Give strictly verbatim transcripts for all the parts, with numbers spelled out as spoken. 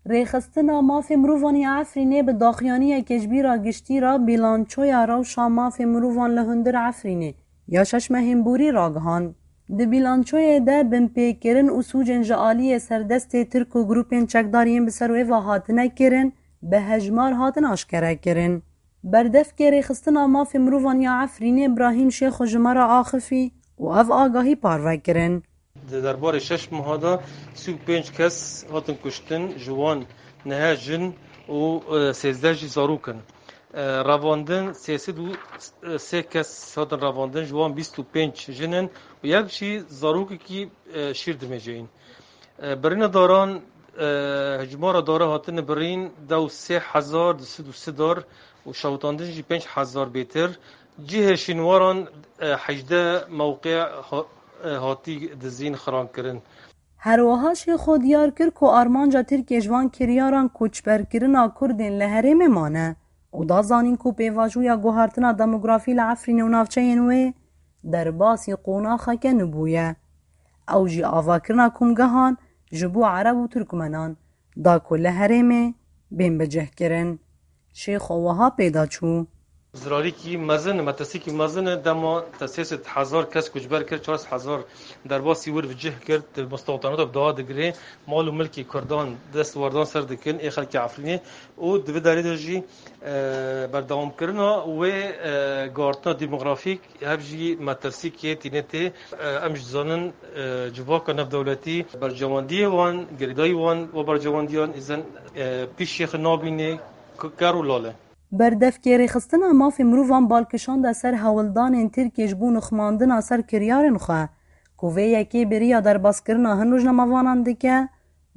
Rêxistina Mafê Mirovan ya Efrînê bi daxuyaniyeke ji bîra giştî re bîlançoya rewşa mafê mirovan li hundir Efrînê ya şeş mehên borî ragihand. Di bîlançoyê de binpêkirin û sûcên ji aliyê serdestê Tirk û grûpên çekdar yên bi ser wê ve hatine kirin, bi hejmar hatin aşkerekirin. Berdevkê Rêxistina Mafê Mirovan ya Efrînê Brahîm Şêxo ji me re axifî û ev agahî parve kirin. Di derbarê şeş meha de sî û pênc kes hatin kuştin, ji wan neh jin û, e, sêzdeh jî zarok in. E, revandin sê sed û sê kes hatin revandin, ji wan bîst û pênc jin in û yek jî zarokekî, e, şîr dimêjeyîn. E, birîna daran, e, hejmara dara hatine birîn dew sê hezar du sed û sî dar û şewitandin jî pênc hezar bêtir. Cihê şînwaran, e, hejdeh mewqe ha-, e, hatî dizîn, xiran kirin. Her wiha Şêxo diyar kir ku armanca Tirkiyê ji van kiryaran koçberkirina Kurdên li herêmê mane û da zanîn ku pêvajoya guhartina demografî li Efrînê û navçeyên wê derbasî qonaxeke nûbûye. Ew jî avakirina komgehan ji bo Ereb û Tirkmenan da ku li herêmê bên bicihkirin. Şêxo wiha pê de çû. Zirarîkî mezin e, metirsîkî mezin e, dema te sê sed hezar kes koçber kir, çar sed hezar derbasî wir bi cih kir, di mistewtanata bi daha digirê, mal û milkê Kurdan dest werdan ser dikin, ê xelkê Efrînê û di vê derê de jî, e, berdewamkirina wê, e, guhartina demografîk hev jî metirsîkê tîne tê. E, em jî dizanin, e, civaka navdewletî bercewendiyê wan, girêdayî wan û bercewendiyan îzen, e, pîşê xwe nabîne, k-, ker û lal e. Berdevkê Rêxistina Mafê Mirovan bal kişande ser hewldanên Tirkiyê ji bo nixmandina ser kiryarên xwe ku vê yekê bêriya derbaskirina hin rojnamevanan dike,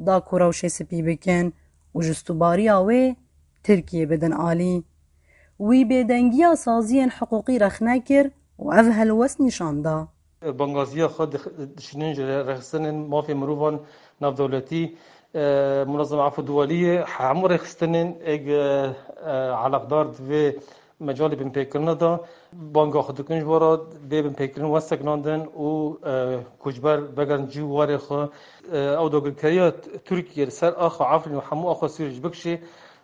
da ku rewşê spî bikin û ji stûbariya wê Tirkiyê bidin alî. Wî bêdengiya saziyên hiqûqî rexne kir û ev helwest nîşan da. Bangaziya xwe dix-, dişînin ji rêxistinên mafê mirovan navdewletî, e, Munezema Efû Duwaliyê, hemû rêxistinên êg, e, e, eleqdar di vê mecalê binpêkirina de banga xwe dikin ji we re bê binpêkirin were sekinandin û, e, koçber vegerin cî û warê xwe. E, ew dagirkeriya Tirkiyê li ser axa Efrîn û hemû axa Sûriyê jî bikişê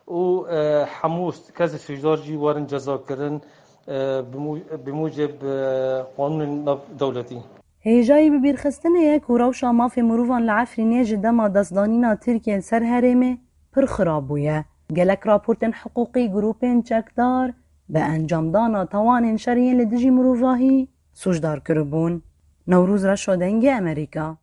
û, e, hemû kes sûcdar jî werin cezakirin, e, bi mû-, bi mûceb, e, qanûnên navdewletî. Hêjayî bibîrxistinê ye ku rewşa mafê mirovan li Efrînê ji dema destdanîna Tirkiyê li ser herêmê pir xirab bûye. Gelek raportên hiqûqî grûpên çekdar bi encamdana tawanên şer yên li dijî mirovahî sûcdar kiribûn. Newroz Reşo, Dengê Amerîka.